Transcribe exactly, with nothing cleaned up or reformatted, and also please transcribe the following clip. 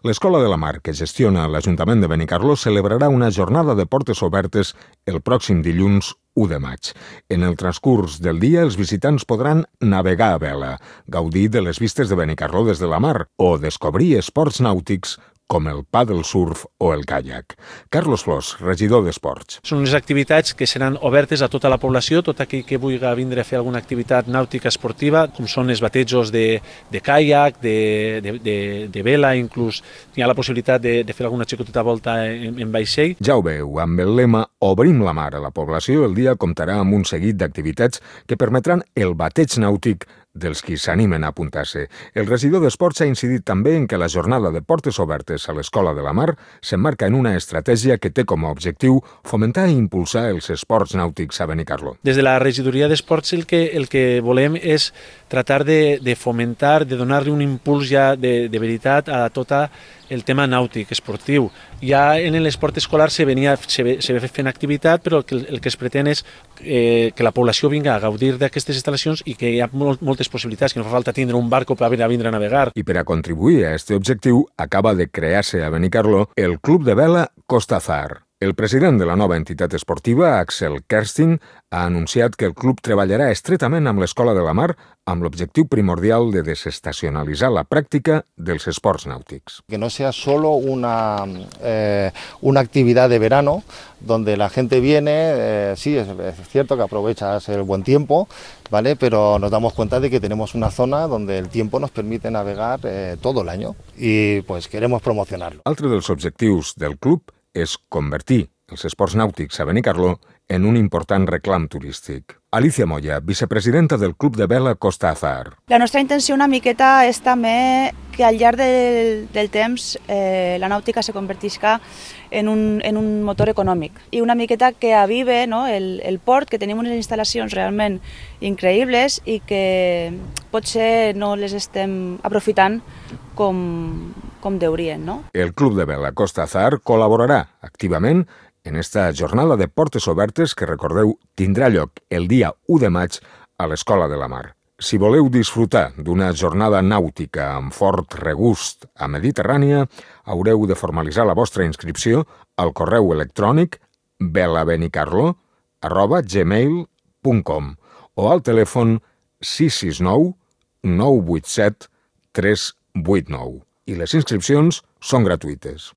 L'Escola de la Mar, que gestiona l'Ajuntament de Benicarló, celebrarà una jornada de portes obertes el pròxim dilluns u de maig. En el transcurs del dia, els visitants podran navegar a vela, gaudir de les vistes de Benicarló des de la mar o descobrir esports nàutics com el paddle surf o el caiac. Carlos Flors, regidor d'Esports. Són unes activitats que seran obertes a tota la població, tot aquell que vulgui vindre a fer alguna activitat nàutica esportiva, com són els batejos de, de caiac, de, de, de, de vela, inclús hi ha la possibilitat de, de fer alguna xicoteta volta en, en vaixell. Ja ho veu, amb el lema Obrim la mar a la població, el dia comptarà amb un seguit d'activitats que permetran el bateig nàutic dels qui s'animen a apuntar-se. El regidor d'Esports ha incidit també en que la jornada de portes obertes a l'Escola de la Mar s'emmarca en una estratègia que té com a objectiu fomentar i impulsar els esports nàutics a Benicarló. Des de la regidoria d'Esports el que, el que volem és tratar de, de fomentar, de donar-li un impuls ja de, de veritat a tot el tema nàutic, esportiu. Ja en l'esport escolar se venia, se ve, se ve fent activitat, però el que, el que es pretén és eh, que la població vinga a gaudir d'aquestes instal·lacions i que hi ha molt, moltes possibilitats, que no fa falta tindre un barco per a vindre a navegar. I per a contribuir a aquest objectiu, acaba de crear-se a Benicarló el Club de Vela Costa Azar. El president de la nova entitat esportiva, Axel Kersting, ha anunciat que el club treballarà estretament amb l'Escola de la Mar amb l'objectiu primordial de desestacionalitzar la pràctica dels esports nàutics. Que no sea solo una, eh, una actividad de verano donde la gente viene, eh, sí, es, es cierto que aprovechas el buen tiempo, ¿vale? Pero nos damos cuenta de que tenemos una zona donde el tiempo nos permite navegar eh, todo el año y pues queremos promocionarlo. Altre dels objectius del club és convertir els esports nàutics a Benicarló en un important reclam turístic. Alicia Moya, vicepresidenta del Club de Vela Costa Azar. La nostra intenció una miqueta és també que al llarg del, del temps eh, la nàutica se convertisca en un, en un motor econòmic i una miqueta que avive, no, el, el port, que tenim unes instal·lacions realment increïbles i que potser no les estem aprofitant com, com deurien, no? El Club de Vela Costa Azar col·laborarà activament en esta jornada de portes obertes que, recordeu, tindrà lloc el dia u de maig a l'Escola de la Mar. Si voleu disfrutar d'una jornada nàutica amb fort regust a Mediterrània, haureu de formalitzar la vostra inscripció al correu electrònic velabenicarlo arroba gmail punt com o al telèfon sis sis nou nou vuit set tres vuit nou. I les inscripcions són gratuïtes.